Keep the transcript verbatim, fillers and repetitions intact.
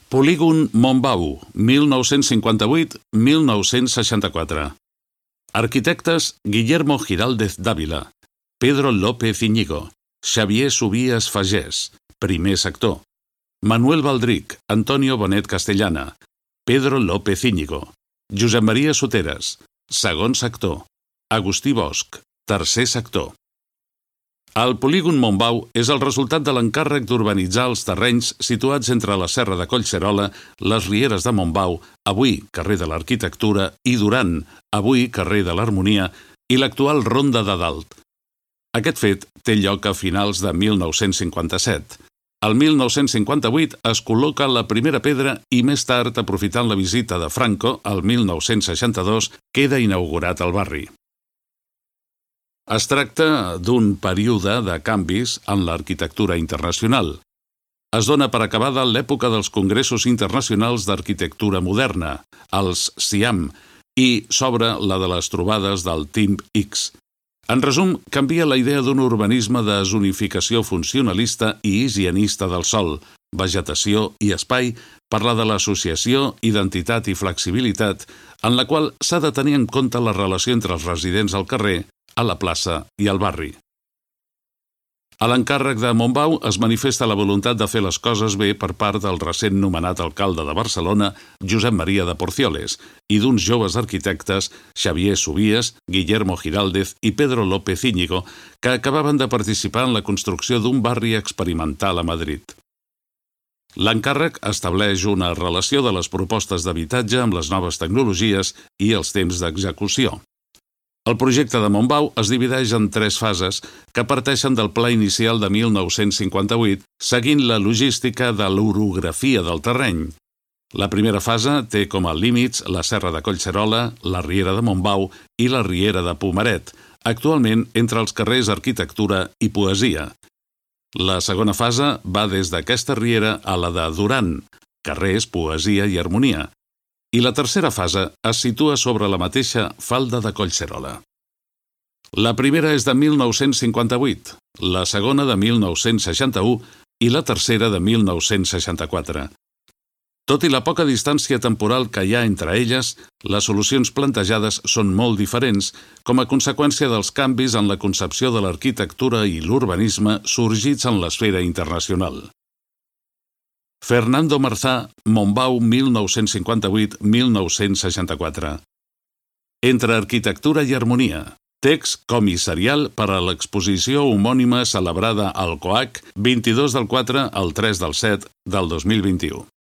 Polígon Montbau, mil nou-cents cinquanta-vuit a mil nou-cents seixanta-quatre. Arquitectes Guillermo Giraldez Dávila, Pedro López Íñigo, Xavier Subías Fagés, primer sector. Manuel Baldric, Antonio Bonet Castellana, Pedro López Íñigo, Josep Maria Soteres, segon sector. Agustí Bosch, tercer sector. El polígon Montbau és el resultat de l'encàrrec d'urbanitzar els terrenys situats entre la Serra de Collserola, les Rieres de Montbau, avui carrer de l'Arquitectura, i Duran, avui carrer de l'Harmonia, i l'actual Ronda de Dalt. Aquest fet té lloc a finals de mil nou-cents cinquanta-set. El mil nou-cents cinquanta-vuit es col·loca la primera pedra i més tard, aprofitant la visita de Franco, el mil nou-cents seixanta-dos, queda inaugurat el barri. Es tracta d'un període de canvis en l'arquitectura internacional. Es dona per acabada l'època dels Congressos Internacionals d'Arquitectura Moderna, els SIAM, i s'obre la de les trobades del Team X. En resum, canvia la idea d'un urbanisme de zonificació funcionalista i higienista del sòl, vegetació i espai per la de l'associació, identitat i flexibilitat, en la qual s'ha de tenir en compte la relació entre els residents al carrer, a la plaça i al barri. A l'encàrrec de Montbau es manifesta la voluntat de fer les coses bé per part del recent nomenat alcalde de Barcelona, Josep Maria de Porcioles, i d'uns joves arquitectes, Xavier Subías, Guillermo Giraldez i Pedro López Íñigo, que acabaven de participar en la construcció d'un barri experimental a Madrid. L'encàrrec estableix una relació de les propostes d'habitatge amb les noves tecnologies i els temps d'execució. El projecte de Montbau es divideix en tres fases que parteixen del pla inicial de mil nou-cents cinquanta-vuit, seguint la logística de l'orografia del terreny. La primera fase té com a límits la Serra de Collserola, la Riera de Montbau i la Riera de Pomaret, actualment entre els carrers Arquitectura i Poesia. La segona fase va des d'aquesta riera a la de Duran, carrers Poesia i Harmonia, i la tercera fase es situa sobre la mateixa falda de Collserola. La primera és de mil nou-cents cinquanta-vuit, la segona de mil nou-cents seixanta-u i la tercera de mil nou-cents seixanta-quatre. Tot i la poca distància temporal que hi ha entre elles, les solucions plantejades són molt diferents com a conseqüència dels canvis en la concepció de l'arquitectura i l'urbanisme sorgits en l'esfera internacional. Fernando Marzá, Montbau mil nou-cents cinquanta-vuit a mil nou-cents seixanta-quatre. Entre arquitectura i harmonia, text comissarial per a l'exposició homònima celebrada al COAC vint-i-dos del quatre al tres del set del dos mil vint-i-u.